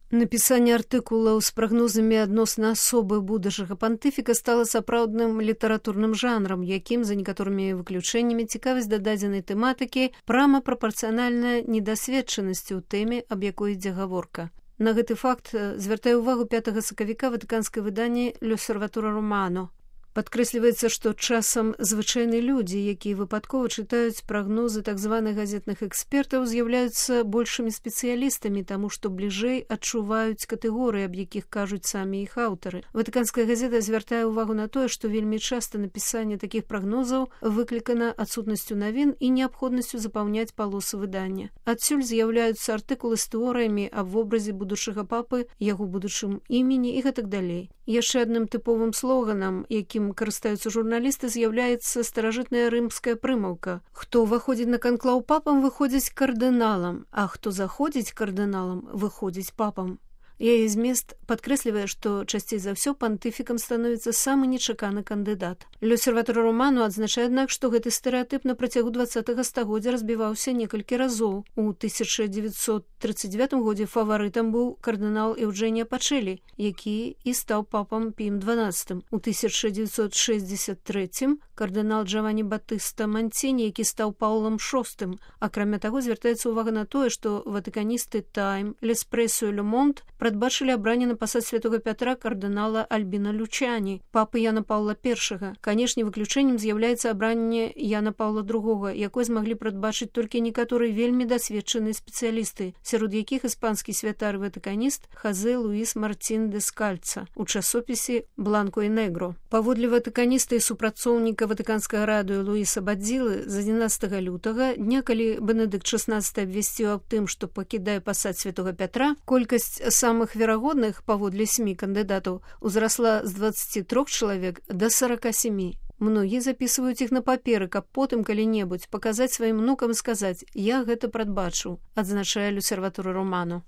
Напісанне артыкулаў з прагнозамі адносна асобы будучага пантыфіка стала сапраўдным літаратурным жанрам, якім, за некаторымі выключэннямі, цікавасць да дадзенай тэматыкі прама прапарцыянальная недасведчанасці ў тэме, аб якой ідзе гаворка. На гэты факт звяртае ўвагу 5 сакавіка ватыканскае выданне «L'Osservatore Romano». Падкрэсліваецца, што часам звычайныя людзі, якія выпадкова чытаюць прагнозы так званых газетных экспертаў, з'яўляюцца большымі спецыялістамі, таму што бліжэй адчуваюць катэгорыі, аб якіх кажуць самі іх аўтары. Ватыканская газета звяртае ўвагу на тое, што вельмі часта напісанне такіх прагнозаў выклікана адсутнасцю навін і неабходнасцю запаўняць палосы выдання. Адсюль з'яўляюцца артыкулы з тэорыямі аб вобразе будучага папы, яго будучым імені і гэтак далей. Яшчэ адным тыповым слоганам, якім карыстаюцца журналісты, з'яўляецца старажытная рымская прымаўка. Хто ўваходзіць на канклаў папам, выходзіць кардыналам, а хто заходзіць кардыналам, выходзіць папам. Яе змест падкрэслівае, што часцей за ўсё пантыфікам становіцца самы нечаканы кандыдат. «L'Osservatore Romano» адзначае, аднак, што гэты стэрэатып на працягу 20-го стагоддзя разбіваўся некалькі разоў. У 1939 годзе фаварытам быў кардынал Еўджэнія Пачэлі, які і стаў папам Піем XII. У 1963 кардынал Джаванні Батыста Манціні, які стаў Паўлам VI. Акрамя таго, звяртаецца ўвага на тое, што ватыканісты «Тайм», «L'Espresso» і «Le Monde» прадбачылі абранне на пасад святога Пятра кардынала Альбіна Лючані, папы Яна Паўла I. Канешне, выключэннем з'яўляецца абранне Яна Паўла II, якое змаглі прадбачыць толькі некаторыя вельмі дасведчаныя спецыялісты, сярод якіх іспанскі святар-ватыканіст Хазе Луіс Мартін де Скальца у часопісе «Бланко і Негро». Паводле ватыканіста і супрацоўніка ватыканскага радыё Луіса Бадзілы, з 11 лютага, дня, калі Бенедыкт XVI абвясціў аб тым, што пакідае пасад святога Пятра, колькасць самых верагодных, паводле СМІ, кандыдатаў узрасла з 23 чалавек да 47. Многія запісваюць іх на паперы, каб потым калі-небудзь паказаць сваім унукам і сказаць: «Я гэта прадбачыў», адзначае «L'Osservatore Romano».